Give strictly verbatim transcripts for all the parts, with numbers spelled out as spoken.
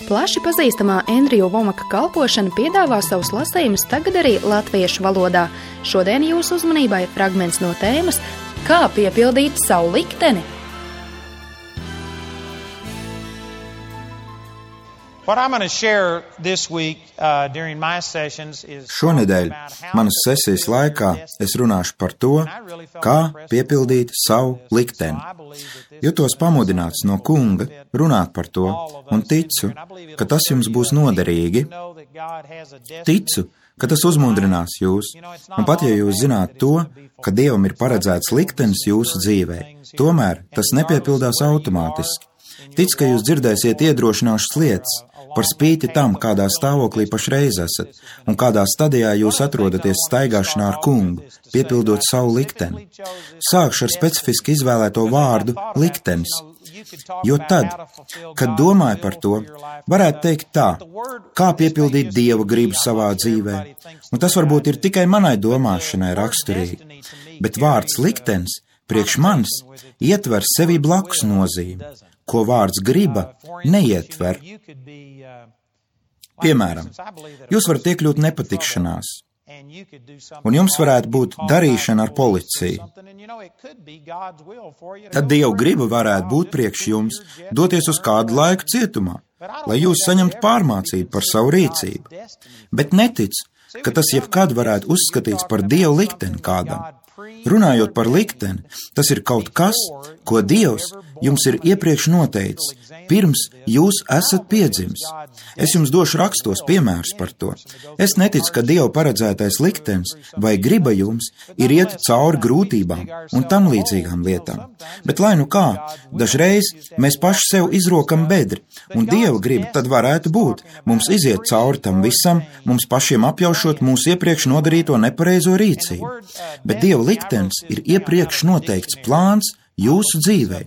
Plaši pazīstamā Andrija Vomaka kalpošana piedāvā savus lasījumus tagad arī latviešu valodā. Šodien jūsu uzmanībai fragments no tēmas Kā piepildīt savu likteni? Šonedēļ manas sesijas laikā es runāšu par to, kā piepildīt savu likteni. Jūtos pamudināts no Kunga runāt par to un ticu, ka tas jums būs noderīgi. Ticu, ka tas uzmundrinās jūs, un pat ja jūs zināt to, ka Dievam ir paredzēts liktenis jūsu dzīvē, tomēr tas nepiepildās automātiski. Tic, ka jūs dzirdēsiet iedrošinošas lietas, par spīti tam, kādā stāvoklī pašreiz esat, un kādā stadijā jūs atrodaties staigāšanā ar Kungu, piepildot savu likteni. Sākšu ar specifiski izvēlēto vārdu liktenis, jo tad, kad domāju par to, varētu teikt tā, kā piepildīt Dieva gribu savā dzīvē, un tas varbūt ir tikai manai domāšanai raksturīgi, bet vārds liktenis priekš manis ietver sevi blakus nozīmi, ko vārds griba neietver. Piemēram, jūs varat iekļūt nepatikšanās, un jums varētu būt darīšana ar policiju. Tad Dieva griba varētu būt priekš jums doties uz kādu laiku cietumā, lai jūs saņemtu pārmācību par savu rīcību. Bet netic, ka tas jebkad varētu uzskatīts par Dieva likteni kādam. Runājot par likteni, tas ir kaut kas, ko Dievs jums ir iepriekš noteicis, pirms jūs esat piedzimis. Es jums došu rakstos piemērus par to. Es neticu, ka Dieva paredzētais liktenis vai griba jums ir iet cauri grūtībām un tam līdzīgām lietām. Bet lai nu kā, dažreiz mēs paši sev izrokam bedri, un Dieva griba tad varētu būt mums iziet cauri tam visam, mums pašiem apjaušot mūsu iepriekš nodarīto nepareizo rīcību. Bet Dieva liktenis ir iepriekš noteikts plāns jūsu dzīvē.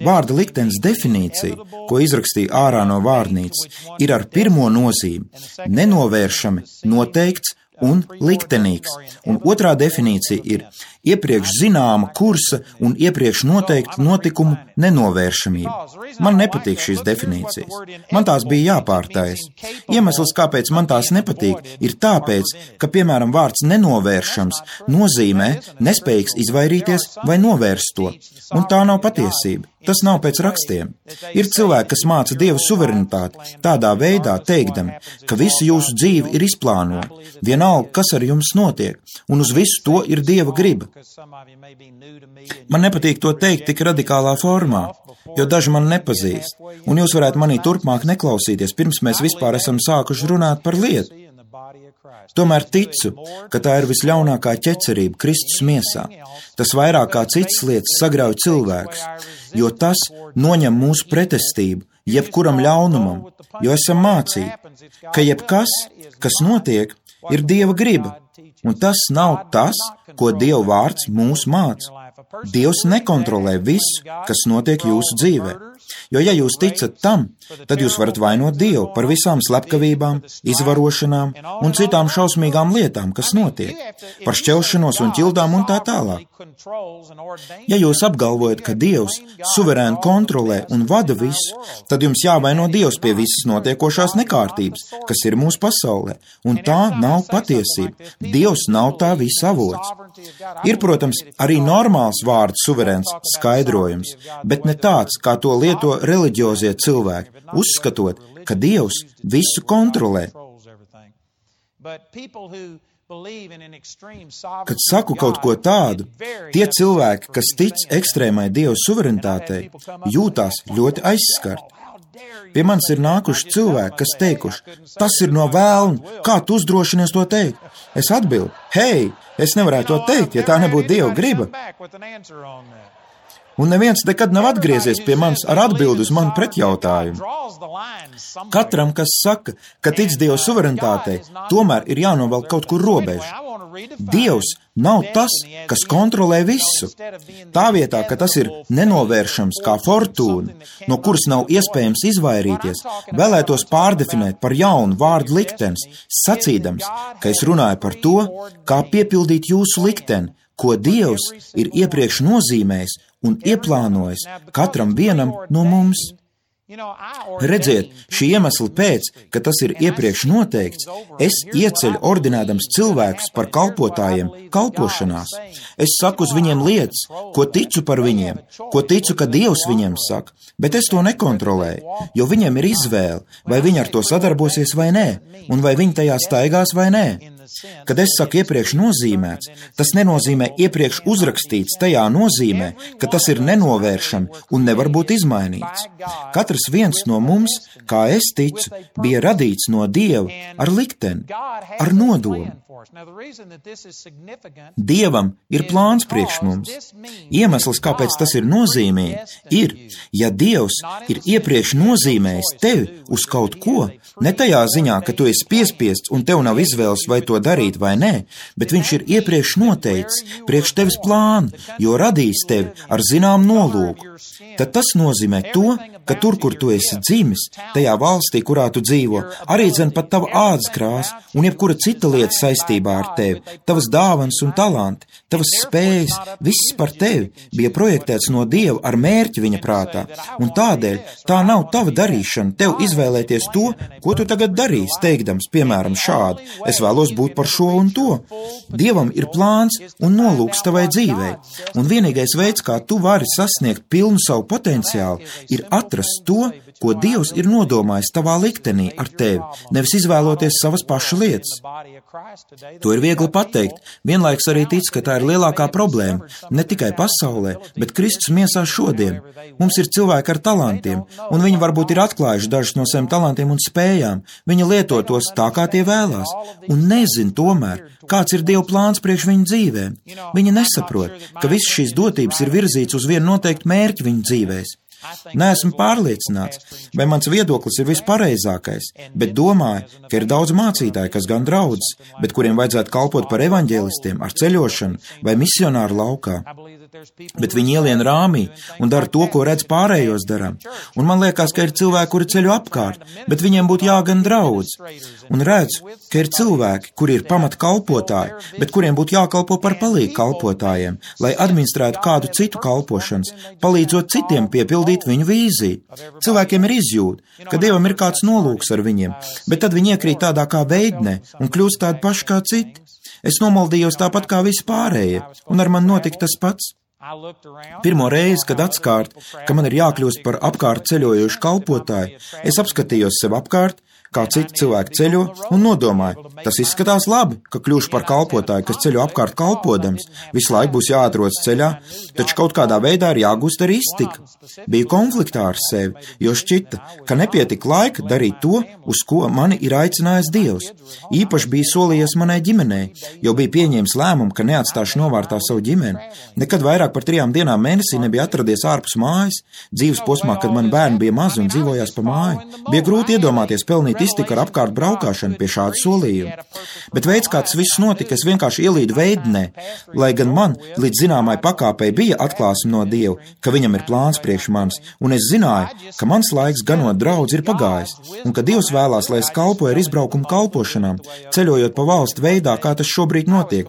Vārda liktenis definīcija, ko izrakstīja ārā no vārnīcas, ir ar pirmo nozīmi – nenovēršami, noteikts un liktenīgs. Un otrā definīcija ir iepriekš zināma kursa un iepriekš noteikta notikumu nenovēršamība. Man nepatīk šīs definīcijas. Man tās bija jāpārtais. Iemesls, kāpēc man tās nepatīk, ir tāpēc, ka, piemēram, vārds nenovēršams nozīmē nespējīgs izvairīties vai novērst to. Un tā nav patiesība. Tas nav pēc rakstiem. Ir cilvēki, kas māca Dieva suverenitāti tādā veidā teikdami, ka visu jūsu dzīvi ir izplānota, vienalga, kas ar jums notiek, un uz visu to ir Dieva griba. Man nepatīk to teikt tik radikālā formā, jo daži man nepazīst, un jūs varētu manī turpmāk neklausīties, pirms mēs vispār esam sākuši runāt par lietu. Tomēr ticu, ka tā ir visļaunākā ķecerība Kristus miesā. Tas vairāk kā citas lietas sagrauj cilvēkus, jo tas noņem mūsu pretestību jebkuram ļaunumam, jo esam mācīti, ka jebkas, kas notiek, ir Dieva griba, un tas nav tas, ko Dieva vārds mūs māca. Dievs nekontrolē visu, kas notiek jūsu dzīvē. Jo, ja jūs ticat tam, tad jūs varat vainot Dievu par visām slepkavībām, izvarošanām un citām šausmīgām lietām, kas notiek, par šķelšanos un ķildām un tā tālāk. Ja jūs apgalvojat, ka Dievs suverēni kontrolē un vada visu, tad jums jāvaino Dievs pie visas notiekošās nekārtības, kas ir mūsu pasaulē, un tā nav patiesība. Dievs nav tā visa avots. Ir, protams, arī normāls vārds suverēns skaidrojums, bet ne tāds, kā to lieto reliģiozie cilvēki, uzskatot, ka Dievs visu kontrolē. Kad saku kaut ko tādu, tie cilvēki, kas tic ekstrēmai Dieva suverenitātei, jūtās ļoti aizskarti. Pie manis ir nākuši cilvēki, kas teikuši, tas ir no vēlna, kā tu uzdrošinies to teikt? Es atbildu, hei, es nevarētu to teikt, ja tā nebūtu Dieva griba. Un neviens nekad nav atgriezies pie manis ar atbildi uz manu pretjautājumu. Katram, kas saka, ka tic Dieva suverenitātei, tomēr ir jānovelk kaut kur robeža. Dievs nav tas, kas kontrolē visu. Tā vietā, ka tas ir nenovēršams kā fortūna, no kuras nav iespējams izvairīties, vēlētos pārdefinēt par jaunu vārdu liktenis, sacīdams, ka es runāju par to, kā piepildīt jūsu likteni, ko Dievs ir iepriekš nozīmējis un ieplānojis katram vienam no mums. Redziet, šī iemesla pēc, ka tas ir iepriekš noteikts, es ieceļu ordinēdams cilvēkus par kalpotājiem kalpošanās. Es saku uz viņiem lietas, ko ticu par viņiem, ko ticu, ka Dievs viņiem saka, bet es to nekontrolēju, jo viņiem ir izvēle, vai viņi ar to sadarbosies vai nē, un vai viņi tajā staigās vai nē. Kad es saku iepriekš nozīmēts, tas nenozīmē iepriekš uzrakstīts, tajā nozīmē, ka tas ir nenovēršami un nevar būt izmainīts. Katrs viens no mums, kā es ticu, bija radīts no Dieva ar likteni, ar nodomu. Dievam ir plāns priekš mums. Iemesls, kāpēc tas ir nozīmīgi, ir, ja Dievs ir iepriekš nozīmējis tevi uz kaut ko, ne tajā ziņā, ka tu esi piespiests un tev nav izvēles vai to darīt vai nē, bet viņš ir iepriekš noteicis priekš tevis plānu, jo radījis tevi ar zinām nolūku. Tad tas nozīmē to, ka tur, kur tu esi dzimis, tajā valstī, kurā tu dzīvo, arī dzen pat tava ādas krāsa un jebkura cita lieta saistībā ar tevi, tavas dāvanas un talanti, tavas spējas, viss par tevi bija projektēts no Dieva ar mērķi viņa prātā, un tādēļ tā nav tava darīšana tev izvēlēties to, ko tu tagad darīsi, teikdams, piemēram, šādi, es vēlos būt par šo un to. Dievam ir plāns un nolūks tavai dzīvei, un vienīgais veids, kā tu vari sasniegt pilnu savu potenciālu, ir atrast to, ko Dievs ir nodomājis tavā liktenī ar tevi, nevis izvēloties savas paša lietas. To ir viegli pateikt, vienlaiks arī tic, ka tā ir lielākā problēma, ne tikai pasaulē, bet Kristus miesā šodien. Mums ir cilvēki ar talantiem, un viņi varbūt ir atklājuši dažus no saviem talantiem un spējām, viņi lieto tos tā, kā tie vēlās, un nezin tomēr, kāds ir Dieva plāns priekš viņu dzīvēm. Viņi nesaprot, ka visas šīs dotības ir virzīts uz vienu noteiktu mērķi viņu dzīvēs. Neesmu pārliecināts, vai mans viedoklis ir vispareizākais, bet domāju, ka ir daudz mācītāju, kas gan draudzes, bet kuriem vajadzētu kalpot par evaņģēlistiem ar ceļošanu vai misionāru laukā. Bet viņi ielien rāmī un dara to, ko redz pārējos darām. Un man liekas, ka ir cilvēki, kuri ceļo apkārt, bet viņiem būtu jāgan draudz. Un redzu, ka ir cilvēki, kuri ir pamat kalpotāji, bet kuriem būtu jākalpo par palīgu kalpotājiem, lai administrētu kādu citu kalpošanas, palīdzot citiem piepildīt viņu vīziju. Cilvēkiem ir izjūta, ka Dievam ir kāds nolūks ar viņiem, bet tad viņi iekrīt tādā kā veidnē un kļūst tādi paši kā citi. Es nomaldījos tāpat kā visi pārējie, un ar man notika tas pats. Pirmo reizi, kad atskārt, ka man ir jākļūst par apkārt ceļojošu kalpotāju, es apskatījos sev apkārt, kā citi cilvēki ceļo, un nodomāju, tas izskatās labi, ka kļūšu par kalpotāju, kas ceļo apkārt kalpodams, visu laiku būs jāatrodas ceļā, taču kaut kādā veidā ir jāgūst arī iztika. Biju konfliktā ar sevi, jo šķita, ka nepietika laika darīt to, uz ko mani ir aicinājis Dievs. Īpaši bija solījies manai ģimenei, jo bija pieņēmis lēmumu, ka neatstāšu novārtā savu ģimeni. Nekad vairāk par trijām dienām mēnesī nebija atradies ārpus mājas, dzīves posmā, kad mani bērni bija mazi un dzīvojās pa māju. Bija grūti iedomāties pelnīt iztika ar apkārt braukāšanu pie šāda solījuma. Bet veids, kā tas viss notika, es vienkārši ielīdu veidnē, lai gan man līdz zināmai pakāpei bija atklāsme no Dieva, ka viņam ir plāns priekš manis, un es zināju, ka mans laiks ganot draudzi ir pagājis, un ka Dievs vēlās, lai es kalpoju ar izbraukumu kalpošanām, ceļojot pa valstu veidā, kā tas šobrīd notiek.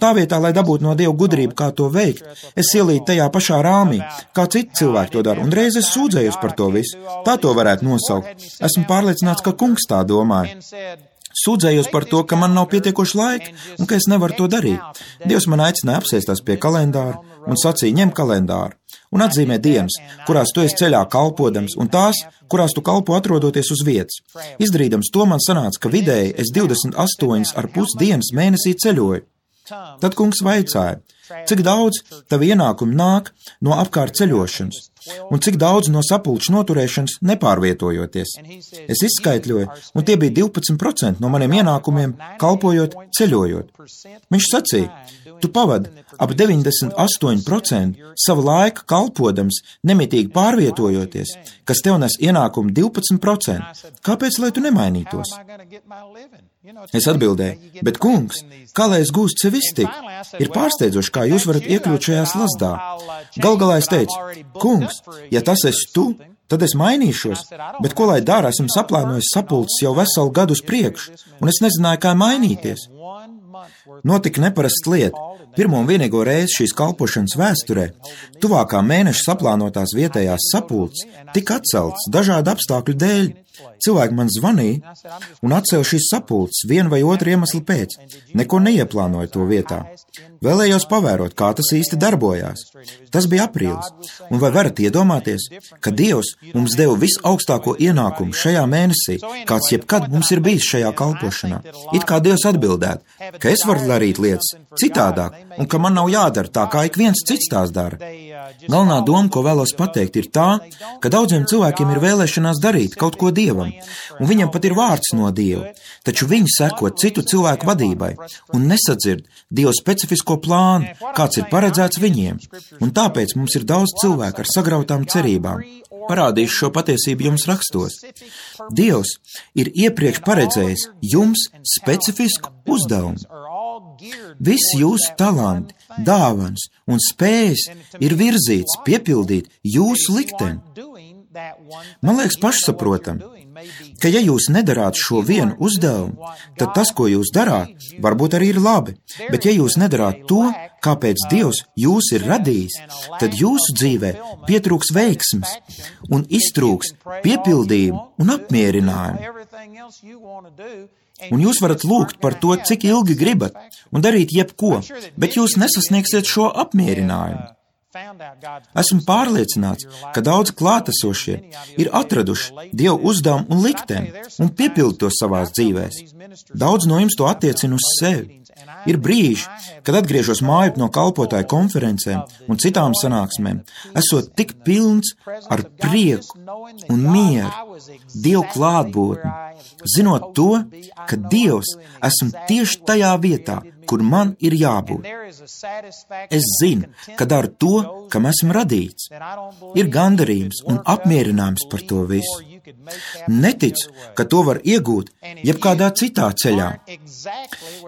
Tā vietā, lai dabūtu no Dieva gudrību, kā to veikt, es ielīdu tajā pašā rāmī, kā citi cilvēki to dara, un reiz es sūdzējos par to visu. Tā to varētu nosaukt. Esmu pārliecināts, ka kungs tā domāja. Sūdzējos par to, ka man nav pietiekoši laika un ka es nevaru to darīt. Dievs man aicināja apsēsties pie kalendāra un sacīja, ņem kalendāru un atzīmē dienas, kurās tu esi ceļā kalpodams, un tās, kurās tu kalpo atrodoties uz vietas. Izdarīdams to, man sanāca, ka vidēji es divdesmit astoņas ar pus dienas mēnesī ceļoju. Tad kungs vaicāja, cik daudz tavi ienākumi nāk no apkārt ceļošanas, un cik daudz no sapulču noturēšanas nepārvietojoties. Es izskaitļoju, un tie bija divpadsmit procenti no maniem ienākumiem, kalpojot, ceļojot. Viņš sacīja, tu pavadi ap deviņdesmit astoņi procenti savu laiku kalpodams, nemitīgi pārvietojoties, kas tev nes ienākumu divpadsmit procenti. Kāpēc, lai tu nemainītos? Es atbildēju, bet kungs, kā lai es gūstu sev iztiku? Ir pārsteidzoši, kā jūs varat iekļūt šajā slazdā. Gal galā es teicu, kungs, ja tas esi tu, tad es mainīšos, bet ko lai dara, esmu saplānojis sapulces jau veselu gadu uz priekšu, un es nezināju, kā mainīties. Notika neparasts lieta. Pirmo un vienīgo reizi šīs kalpošanas vēsturē, tuvākā mēneša saplānotās vietējās sapulces tika atceltas dažādu apstākļu dēļ. Cilvēki man zvanīja un atcēla šīs sapulces vienu vai otru iemeslu pēc. Neko neieplānoja to vietā. Vēlējos pavērot, kā tas īsti darbojās. Tas bija aprīlis. Un vai varat iedomāties, ka Dievs mums deva visaugstāko ienākumu šajā mēnesī, kāds jebkad mums ir bijis šajā kalpošanā? It kā Dievs atbildētu, ka es varu darīt lietas citādāk un ka man nav jādara tā, kā ik viens cits tās dara. Galvenā doma, ko vēlos pateikt, ir tā, ka daudziem cilvēkiem ir vēlēšanās darīt kaut ko Dievam, un viņam pat ir vārds no Dieva, taču viņi seko citu cilvēku vadībai un nesadzird Dieva specifisko plānu, kāds ir paredzēts viņiem, un tāpēc mums ir daudz cilvēku ar sagrautām cerībām. Parādīšu šo patiesību jums rakstos. Dievs ir iepriekš paredzējis jums specifisku uzdevumu. Visi jūsu talanti, dāvanas un spējas ir virzīts piepildīt jūsu likteni. Man liekas pašsaprotam, ka ja jūs nedarāt šo vienu uzdevumu, tad tas, ko jūs darāt, varbūt arī ir labi, bet ja jūs nedarāt to, kāpēc Dievs jūs ir radījis, tad jūsu dzīvē pietrūks veiksmes un iztrūks piepildījumu un apmierinājumu. Un jūs varat lūgt par to, cik ilgi gribat, un darīt jebko, bet jūs nesasniegsiet šo apmierinājumu. Esmu pārliecināts, ka daudz klātesošie ir atraduši Dievu uzdevumu un likteni un piepildu to savās dzīvēs. Daudz no jums to attiecina uz sevi. Ir brīži, kad atgriežos mājup no kalpotāju konferencēm un citām sanāksmēm, esot tik pilns ar prieku un mieru, Dievu klātbūtni, zinot to, ka Dievs esmu tieši tajā vietā, kur man ir jābūt. Es zinu, ka daru to, kam esmu radīts. Ir gandarījums un apmierinājums par to visu. Neticu, ka to var iegūt jebkādā citā ceļā.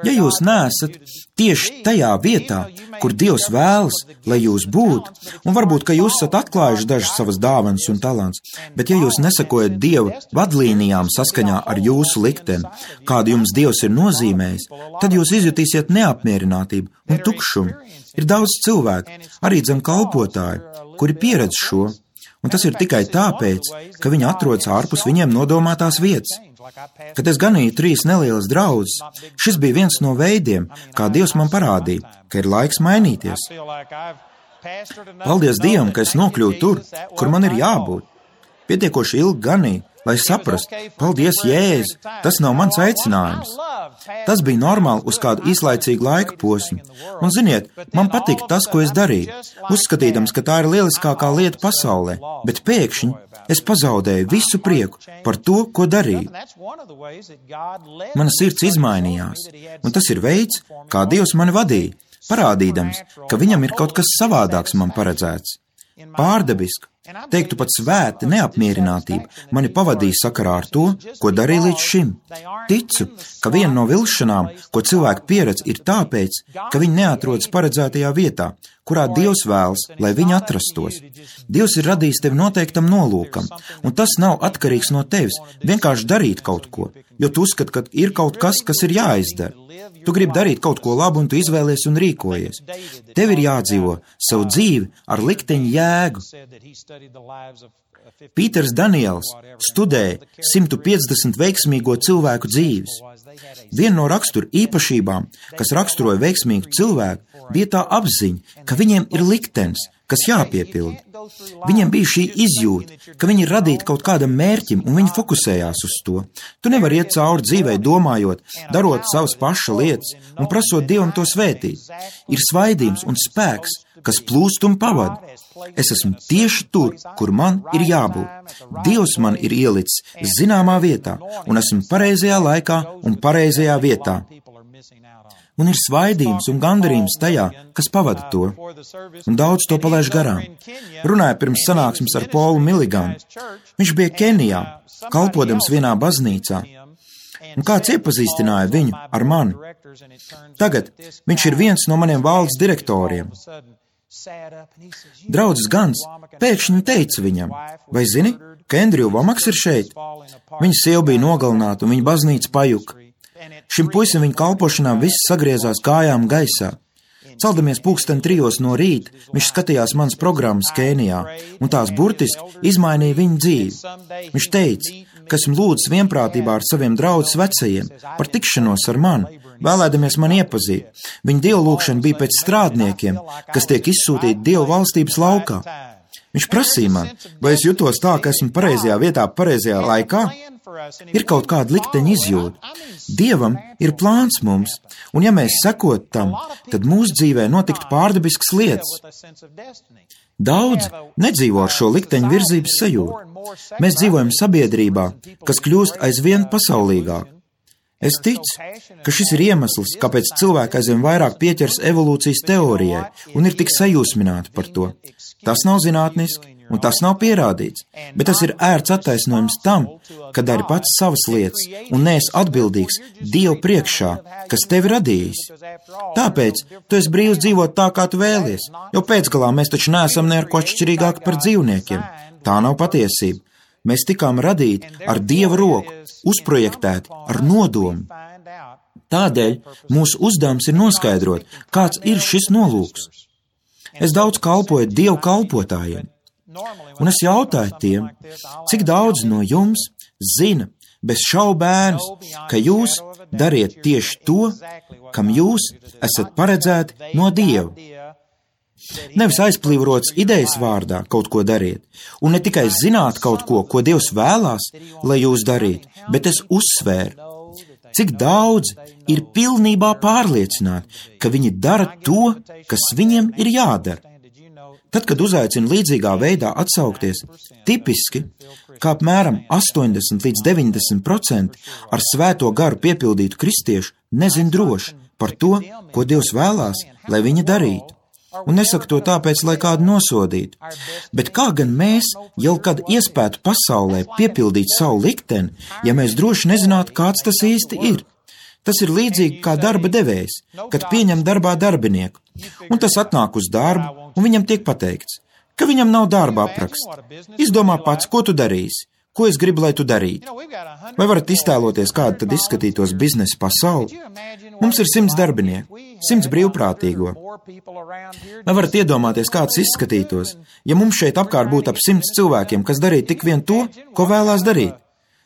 Ja jūs neesat tieši tajā vietā, kur Dievs vēlas, lai jūs būtu, un varbūt, ka jūs esat atklājuši dažas savas dāvanas un talants, bet ja jūs nesakojat Dieva vadlīnijām saskaņā ar jūsu likteni, kādu jums Dievs ir nozīmējis, tad jūs izjutīsiet neapmierinātību un tukšumu. Ir daudz cilvēku, arī dzem kalpotāju, kuri pieredz šo, un tas ir tikai tāpēc, ka viņi atrodas ārpus viņiem nodomātās vietas. Kad es ganīju trīs nelielas draudzes, šis bija viens no veidiem, kā Dievs man parādīja, ka ir laiks mainīties. Paldies Dievam, ka es nokļuvu tur, kur man ir jābūt. Pietiekoši ilgi ganīju, lai saprastu, paldies Jēzu, tas nav mans aicinājums. Tas bija normāli uz kādu īslaicīgu laika posmu. Un ziniet, man patika tas, ko es darīju, uzskatīdams, ka tā ir lieliskākā lieta pasaulē, bet pēkšņi es pazaudēju visu prieku par to, ko darīju. Mana sirds izmainījās, un tas ir veids, kā Dievs mani vadīja, parādīdams, ka viņam ir kaut kas savādāks man paredzēts. Pārdabiski, teiktu pat svēta neapmierinātība mani pavadīja sakarā ar to, ko darīju līdz šim. Ticu, ka viena no vilšanām, ko cilvēki pieredz, ir tāpēc, ka viņi neatrodas paredzētajā vietā, kurā Dievs vēlas, lai viņi atrastos. Dievs ir radījis tevi noteiktam nolūkam, un tas nav atkarīgs no tevis vienkārši darīt kaut ko, jo tu uzskati, ka ir kaut kas, kas ir jāizdara. Tu gribi darīt kaut ko labu, un tu izvēlies un rīkojies. Tev ir jādzīvo savu dzīvi ar likteņa jēgu. Pīters Daniels studēja simt piecdesmit veiksmīgo cilvēku dzīves. Viena no rakstura īpašībām, kas raksturoja veiksmīgu cilvēku, bija tā apziņa, ka viņiem ir liktenis, kas jāpiepilda. Viņiem bija šī izjūta, ka viņi ir radīti kaut kādam mērķim, un viņi fokusējās uz to. Tu nevari iet cauri dzīvei domājot, darot savas paša lietas un prasot Dievam to svētīt. Ir svaidījums un spēks, kas plūst un pavada. Es esmu tieši tur, kur man ir jābūt. Dievs man ir ielicis zināmā vietā, un esmu pareizajā laikā un pareizajā vietā. Un ir svaidījums un gandarījums tajā, kas pavada to, un daudz to palaiž garām. Runāja pirms sanāksmes ar Polu Miliganu. Viņš bija Kenijā, kalpodams vienā baznīcā, un kāds iepazīstināja viņu ar mani. Tagad viņš ir viens no maniem valdes direktoriem. Draudzes Gans pēkšņi teica viņam, vai zini, ka Andrew Vomaks ir šeit? Viņa sieva bija nogalināta un viņa baznīca pajuka. Šim puisim viņa kalpošanām viss sagriezās kājām gaisā. Celdamies pulksten trijos no rīta, viņš skatījās manas programmas Kēnijā, un tās burtiski izmainīja viņa dzīvi. Viņš teica, ka esmu lūdzis vienprātībā ar saviem draudzes vecajiem par tikšanos ar mani, vēlēdamies mani iepazīt. Viņa dievlūkšana bija pēc strādniekiem, kas tiek izsūtīti Dievu valstības laukā. Viņš prasīja man, vai es jutos tā, ka esmu pareizajā vietā, pareizajā laikā? Ir kaut kāda likteņa izjūta. Dievam ir plāns mums, un ja mēs sekot tam, tad mūsu dzīvē notiktu pārdabiskas lietas. Daudz nedzīvo ar šo likteņa virzības sajūtu. Mēs dzīvojam sabiedrībā, kas kļūst aizvien pasaulīgāk. Es ticu, ka šis ir iemesls, kāpēc cilvēki aizvien vairāk pieķers evolūcijas teorijai un ir tik sajūsmināti par to. Tas nav zinātniski, un tas nav pierādīts, bet tas ir ērts attaisnojums tam, ka dari pats savas lietas un neesi atbildīgs Dievu priekšā, kas tevi radījis. Tāpēc tu esi brīvs dzīvot tā, kā tu vēlies, jo pēcgalā mēs taču neesam ne ar ko atšķirīgāki par dzīvniekiem. Tā nav patiesība. Mēs tikām radīti ar Dieva roku, uzprojektēti ar nodomu. Tādēļ mūsu uzdevums ir noskaidrot, kāds ir šis nolūks. Es daudz kalpoju Dievu kalpotājiem, un es jautāju tiem, cik daudz no jums zina bez šaubēnas, ka jūs dariet tieši to, kam jūs esat paredzēti no Dieva. Nevis aizplīvots idejas vārdā kaut ko dariet, un ne tikai zināt kaut ko, ko Dievs vēlās, lai jūs darītu, bet es uzsvēru, cik daudz ir pilnībā pārliecināti, ka viņi dara to, kas viņiem ir jādara. Tad, kad uzaicina līdzīgā veidā atsaukties, tipiski, kā apmēram astoņdesmit līdz deviņdesmit procenti ar svēto garu piepildītu kristiešu nezin droši par to, ko Dievs vēlās, lai viņi darītu. Un nesaku to tāpēc, lai kādu nosodītu, bet kā gan mēs jau kad iespētu pasaulē piepildīt savu likteni, ja mēs droši nezinātu, kāds tas īsti ir. Tas ir līdzīgi kā darba devējs, kad pieņem darbā darbinieku, un tas atnāk uz darbu, un viņam tiek pateikts, ka viņam nav darba apraksta. Izdomā pats, ko tu darīsi, ko es gribu, lai tu darītu. Vai varat iztēloties, kāda tad izskatītos biznesa pasauli? Mums ir simts darbinieku, simts brīvprātīgo. Vai varat iedomāties, kāds izskatītos, ja mums šeit apkārt būtu ap simts cilvēkiem, kas darītu tik vien to, ko vēlās darīt?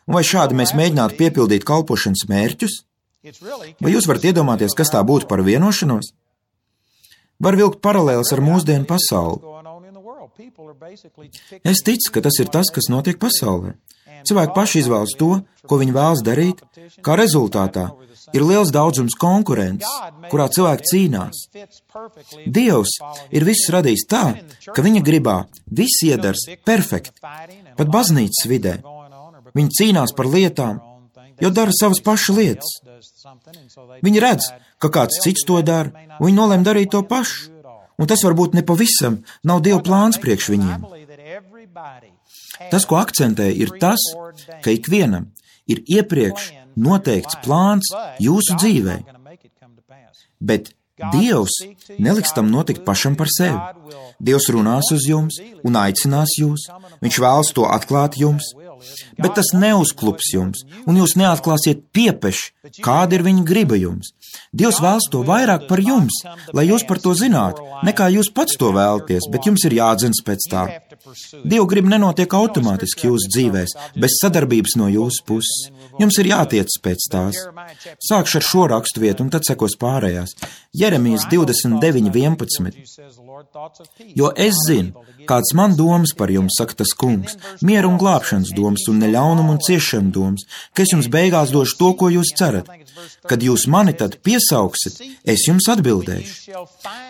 Un vai šādi mēs mēģinātu piepildīt kalpošanas mērķus? Vai jūs varat iedomāties, kas tā būtu par vienošanos? Var vilkt paralēles ar mūsdienu pasauli. Es ticu, ka tas ir tas, kas notiek pasaulē. Cilvēki paši izvēlas to, ko viņi vēlas darīt, kā rezultātā ir liels daudzums konkurences, kurā cilvēki cīnās. Dievs ir viss radījis tā, ka viņa gribā viss iedars perfekti, pat baznīcas vidē. Viņi cīnās par lietām, jo dara savas pašu lietas. Viņi redz, ka kāds cits to dara, un viņi nolem darīt to pašu. Un tas varbūt ne pavisam nav Dieva plāns priekš viņiem. Tas, ko akcentē, ir tas, ka ikvienam ir iepriekš noteikts plāns jūsu dzīvē. Bet Dievs neliks tam notikt pašam par sevi. Dievs runās uz jums un aicinās jūs. Viņš vēlas to atklāt jums. Bet tas neuzklups jums, un jūs neatklāsiet piepeši, kāda ir viņa griba jums. Dievs vēlas to vairāk par jums, lai jūs par to zinātu, nekā jūs pats to vēlaties, bet jums ir jādzins pēc tā. Dieva griba nenotiek automātiski jūsu dzīvēs, bez sadarbības no jūsu puses. Jums ir jātiec pēc tās. Sākšu ar šo raksturvietu, un tad sekos pārējās. Jeremijas divdesmit deviņi vienpadsmit. Jo es zinu, kāds man domas par jums, saka tas kungs, mieru un glābšanas domas un neļaunumu un ciešanu domas, ka es jums beigās došu to, ko jūs cerat. Kad jūs mani tad piesauksit, es jums atbildēšu.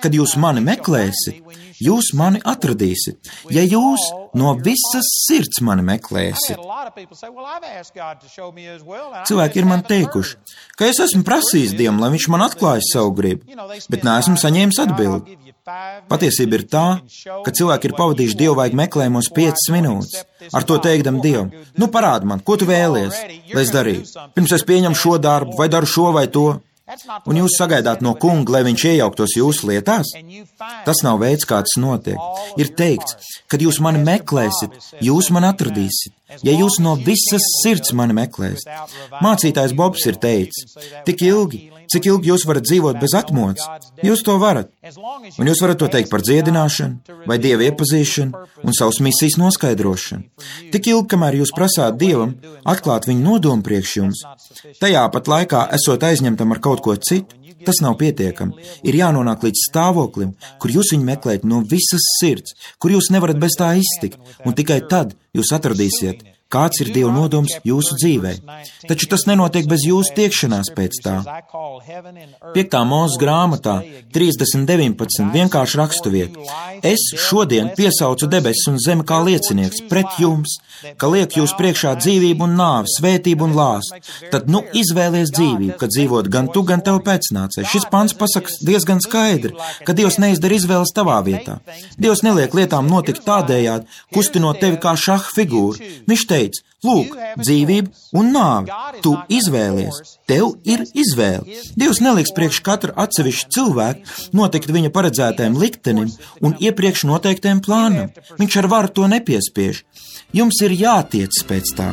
Kad jūs mani meklēsit, jūs mani atradīsit, ja jūs no visas sirds mani meklēsit. Cilvēki ir man teikuši, ka es esmu prasījis Dievam, lai viņš man atklājas savu gribu, bet neesmu saņēmis atbildi. Patiesība ir tā, ka cilvēki ir pavadījuši dievvvaigu meklējumos piecas minūtes, ar to teikdam Dievam, nu parādi man, ko tu vēlies, lai es darītu, pirms es pieņemu šo darbu, vai daru šo vai to. Un jūs sagaidāt no kunga, lai viņš iejauktos jūsu lietās? Tas nav veids, kā tas notiek. Ir teikts, kad jūs mani meklēsit, jūs mani atradīsit, ja jūs no visas sirds mani meklēsit. Mācītājs Bobs ir teicis, tik ilgi, Cik ilgi jūs varat dzīvot bez atmodas? Jūs to varat. Un jūs varat to teikt par dziedināšanu, vai Dieva iepazīšanu un savas misijas noskaidrošanu. Tik ilgi, kamēr jūs prasāt Dievam atklāt viņu nodomu priekš jums, tajā pat laikā esot aizņemtam ar kaut ko citu, tas nav pietiekami. Ir jānonāk līdz stāvoklim, kur jūs viņu meklējat no visas sirds, kur jūs nevarat bez tā iztikt, un tikai tad jūs atradīsiet, kāds ir Dieva nodoms jūsu dzīvē. Taču tas nenotiek bez jūsu tiekšanās pēc tā. Piektā Mūzes grāmatā trīsdesmit deviņpadsmit vienkārši rakstuvieta. Es šodien piesaucu debesis un zemi kā liecinieks pret jums, ka liek jūs priekšā dzīvību un nāvi, svētību un lāstu. Tad nu izvēlies dzīvību, kad dzīvot gan tu, gan tev pēcnācēji. Šis pants pasaka diezgan skaidri, ka Dievs neizdara izvēles tavā vietā. Dievs neliek lietām notikt tādējādi, kustinot tevi kā šaha figūru. Viņš teica, lūk, dzīvība un nāve, tu izvēlies, tev ir izvēle. Dievs neliks priekš katra atsevišķa cilvēka notikt viņa paredzētajam liktenim un iepriekš noteiktiem plānam. Viņš ar varu to nepiespiež. Jums ir jātiec pēc tā.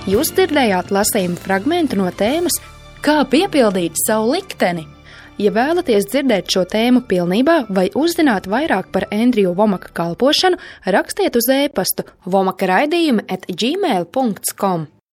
Jūs dzirdējāt lasījumu fragmentu no tēmas Kā piepildīt savu likteni? Ja vēlaties dzirdēt šo tēmu pilnībā vai uzzināt vairāk par Endriju Vomaka kalpošanu, rakstiet uz e-pastu vomaka raidījumi at gmail punkt com.